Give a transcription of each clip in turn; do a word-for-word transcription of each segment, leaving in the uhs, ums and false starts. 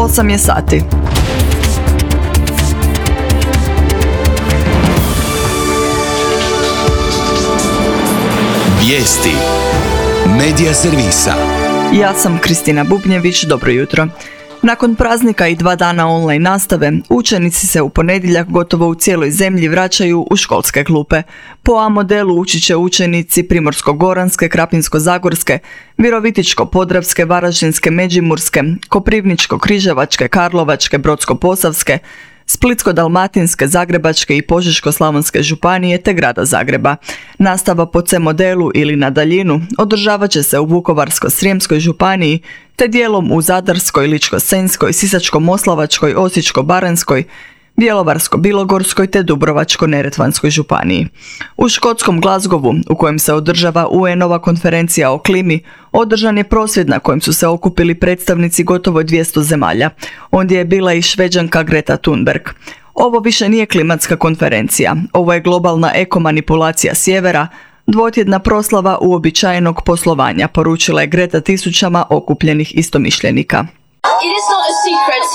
osam je sati. Vijesti Medija servisa. Ja sam Kristina Bubnjević, dobro jutro. Nakon praznika i dva dana online nastave, učenici se u ponedjeljak gotovo u cijeloj zemlji vraćaju u školske klupe. Po A modelu učit će učenici Primorsko-goranske, Krapinsko-zagorske, Virovitičko-podravske, Varaždinske, Međimurske, Koprivničko-križevačke, Karlovačke, Brodsko-posavske, Splitsko-dalmatinske, Zagrebačke i Požeško-slavonske županije te grada Zagreba. Nastava po C modelu ili na daljinu održavat će se u Vukovarsko-srijemskoj županiji te dijelom u Zadarskoj, Ličko-senjskoj, Sisačko-moslavačkoj, Osječko-baranjskoj, Bjelovarsko-bilogorskoj te Dubrovačko-neretvanskoj županiji. U škotskom Glasgowu, u kojem se održava U N-ova konferencija o klimi, održan je prosvjed na kojem su se okupili predstavnici gotovo dvjesto zemalja. Ondje je bila i Šveđanka Greta Thunberg. Ovo više nije klimatska konferencija, ovo je globalna ekomanipulacija sjevera, dvotjedna proslava uobičajenog poslovanja, poručila je Greta tisućama okupljenih istomišljenika.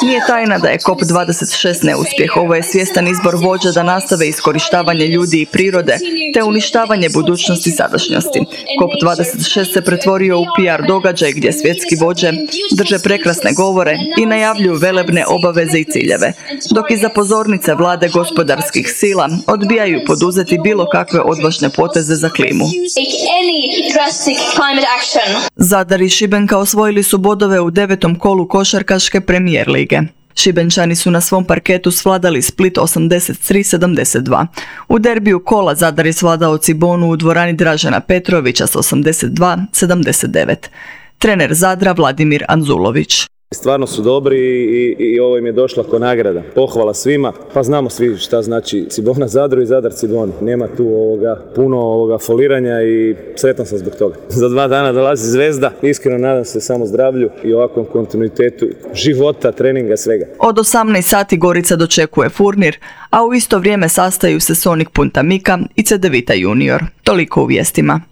Nije tajna da je COP dvadeset šest neuspjeh. Ovo je svjestan izbor vođa da nastave iskorištavanje ljudi i prirode te uništavanje budućnosti i sadašnjosti. COP dvadeset šest se pretvorio u P R događaj gdje svjetski vođe drže prekrasne govore i najavljuju velebne obaveze i ciljeve, dok iza pozornice vlade gospodarskih sila odbijaju poduzeti bilo kakve odvažne poteze za klimu. Zadar i Šibenka osvojili su bodove u devetom kolu košarkaške premijer lige. Šibenčani su na svom parketu svladali Split osamdeset tri sedamdeset dva. U derbiju kola Zadar je svladao Cibonu u dvorani Dražena Petrovića s osamdeset dva sedamdeset devet. Trener Zadra Vladimir Anzulović. Stvarno su dobri i, i ovo im je došla ko nagrada. Pohvala svima, pa znamo svi šta znači Cibona Zadru i Zadar Ciboni. Nema tu ovoga, puno ovoga foliranja i sretan sam zbog toga. Za dva dana dolazi zvezda, iskreno nadam se samo zdravlju i ovakvom kontinuitetu života, treninga, svega. Od osamnaest sati Gorica dočekuje Furnir, a u isto vrijeme sastaju se Sonik Punta Mika i Cedevita Junior. Toliko u vijestima.